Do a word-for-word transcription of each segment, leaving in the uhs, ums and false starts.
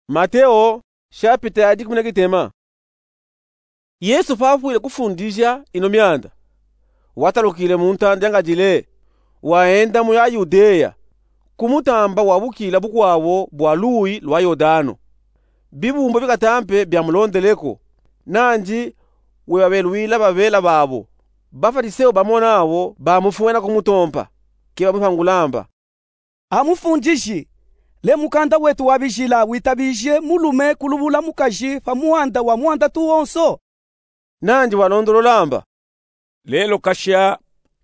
Mateo, shapita ya dikumi na gitema. Yesu fafwile kufundisha ino myanda, watalukile mu ntanda ya ngadile, waenda mu ya Yudeya, ku mutamba wabukila bukwabo bwa luwi lwa Yodano. Bibumbu bikatampe byamulondeleko, nandi webabeluwila babela babo. Bafaliseo bamo nabo bamufwena kumutompa, kebamwipangula amba: A Mufundishi, le mukanda wetu wa bijila witabije mulume kulubula mukaji pa muhanda wa muhanda tu wonso? Nandi walondolola amba: Lelo kasha,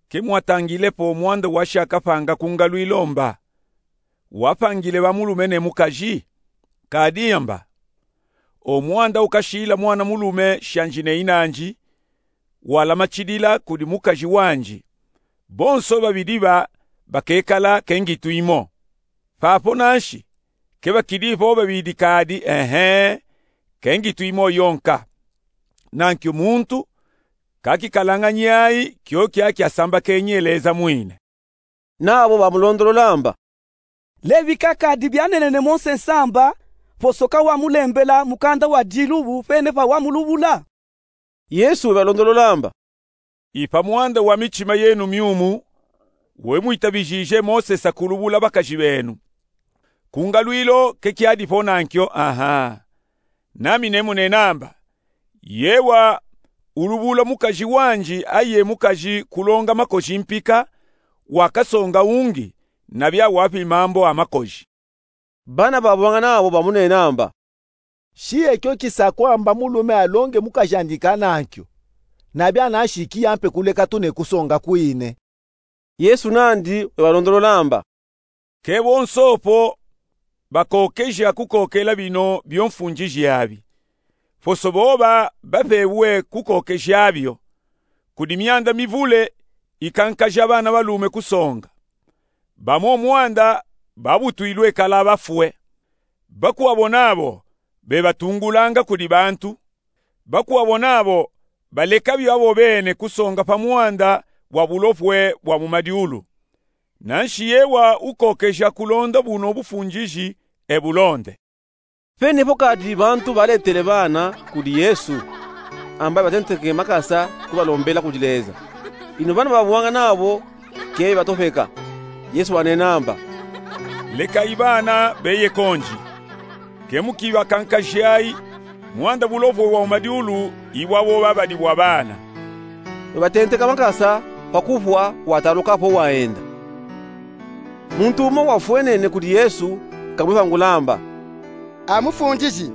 kemwatangilepo muhanda washakapanga ku ngalwilo mba, wapangile ba mulume ne mukaji? Kadi mba. O muhanda ukashila mwana mulume shanji ne inanji, wala machidila kudi mukaji wanji, bonso babidi ba bakekala ke ngitu imo. Papo nanshi, kebakidi po babidi kadi, ehe, ke ngitu imo yonka. Nankyo muntu kakikalanga nyayi kyo kyakya samba kenyi eleza mwine. Nabo bamulondolola amba: Lebika kadi byanenene Mose nsamba, posoka wamulembela mukanda wa dilubu pene pa wamulubula? Yesu webalondolola amba: I pa muhanda wa michima yenu myumu, we mwitabijije Mose sa kulubula bakaji benu. Ku ngalwilo ke kyadi po nankyo, aha. Nami nemunena amba: Yewa ulubula mukaji wanji aye mukaji kulonga makoji mpika, wakasonga ungi, nabya wapi mambo a makoji. Bana babwanga nabo bamunena amba: Shiye kyo kisa kwamba mulume alonge mukaji andi kanankyo, nabya nanshi kiyampe kuleka tu ne kusonga kwine. Yesu nandi webalondolola amba: Ke bonso po bakokeja kukokela bino byo mfundishi abi, poso boba bapewe kukokeja byo. Kudi myanda mivule ikankaja bana balume kusonga. Bamo muhanda babutwilwe kala bafwe. Bakwabo nabo bebatungulanga kudi bantu. Bakwabo nabo baleka byo abo bene kusonga pa muhanda wa bulopwe bwa mu madiulu. Nanshi yewa ukokeja kulonda buno bufundishi, ebulonde. Pene po kadi bantu baletele bana kudi Yesu, amba batenteke makasa kubalombela kudi Leza. Ino bana babwanga nabo ke batopeka. Yesu wanena amba: Lekayi bana beye konji. Ke mukibakankajayi, muhanda bulopwe bwa mu madiulu ibwabo babadi bwa bana. Webatenteka makasa pa kupwa, wataluka po waenda. Muntu umo wafwenene kudi Yesu kamwipangula amba: A Mufundishi,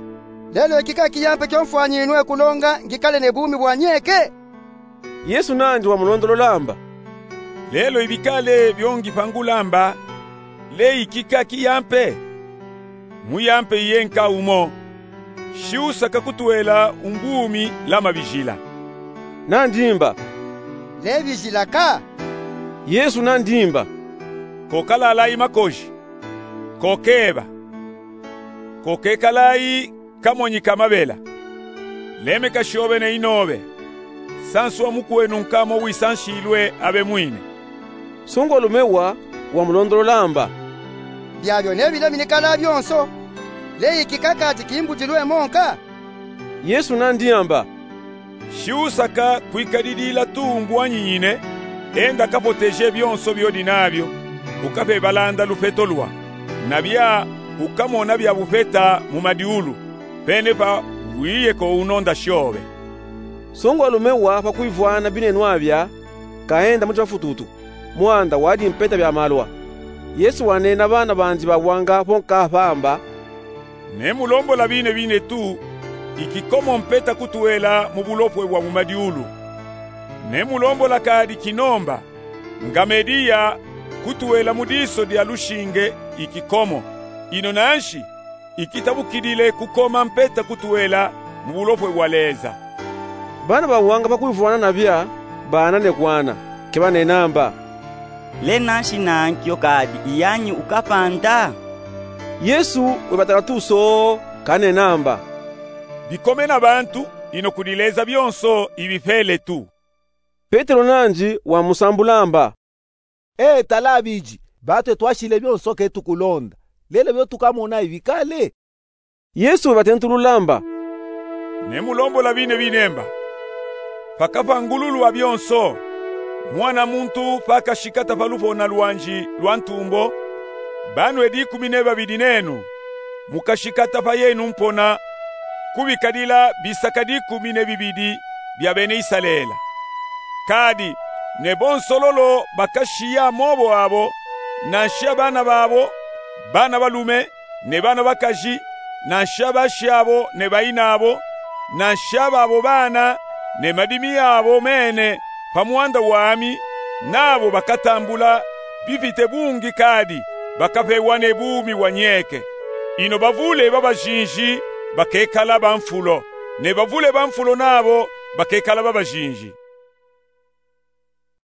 lelo ikika kiyampe kyo mfwanyinwe kulonga ngikale ne bumi bwa nyeke? Yesu nandi wamulondolola amba: Lelo ibikale byo ngipangula amba, le ikika kiyampe? Muyampe iye nka umo: Shi usaka kutwela umbumi lama bijila? Nandi mba: Le bijila ka. Yesu nandi mba: Kokalalayi makoji, kokeba, kokekalayi kamonyi ka mabela. Lemeka shobe ne inobe. Sanswa mukwenu nka mo wisanshilwe abe mwine. Sungwalume wa wamulondolola amba: Byabyo nebilemini kala byonso, le ikika kadi kimbudilwe mo nka? Yesu nandi amba: Shi usaka kwikadidila tu mbwanyi nyine, enda kapoteje byonso byodi nabyo, ukape balanda lufeto lwa, nabya ukamona bya bufeta mu madiulu, pene pa wiye ko unonda shobe. Sungwalume wa pakwivwana binenwa bya, kaenda mu chipafututu, muhanda wadi mpeta bya malwa. Yesu wanena bana bandi babwanga po nka pa amba: Nemulombola bine bine tu, ikikomo mpeta kutwela mu bulopwe bwa mu madiulu. Nemulombola kadi kinomba, ngamediya kutwela mu diso dya lushinge ikikomo, ino nanshi ikitabukidile kukoma mpeta kutwela mu bulopwe bwa Leza. Bana babwanga pakwivwana nabya, baana ne kwana, ke banena amba: Le nanshi nankyo kadi iyanyi ukapanda? Yesu webatala tu soo, kanena amba: Bikome na bantu, ino kudi Leza byonso ibipele tu. Petelo nandi wamusambula amba: E tala biji, batwe twashile byonso ke tukulonda, lelo byo tukamona ibikale? Yesu wabatentulula mba: Ne mulombola bine binemba. Pakapa ngululu wa byonso, Mwana muntu pakashikata pa lupona lwandi lwa ntumbo, banwe dikumi ne babidi nenu mukashikata pa yenu mpona kubikadila bisaka dikumi ne bibidi bya bene Isarela. Kadi ne bonso lolo bakashiya amobo abo, nanshi abana babo, bana balume, ne bana bakaji, nanshi abashi abo ne bayina abo, nanshi ababo bana, ne madimi abo mene, pa mwanda wami, nabo bakatambula bipite bungi kadi bakapewa ne bumi bwa nyeke. Ino bavule babajinji bakekala bamfulo, ne bavule bamfulo nabo bakekala babajinji.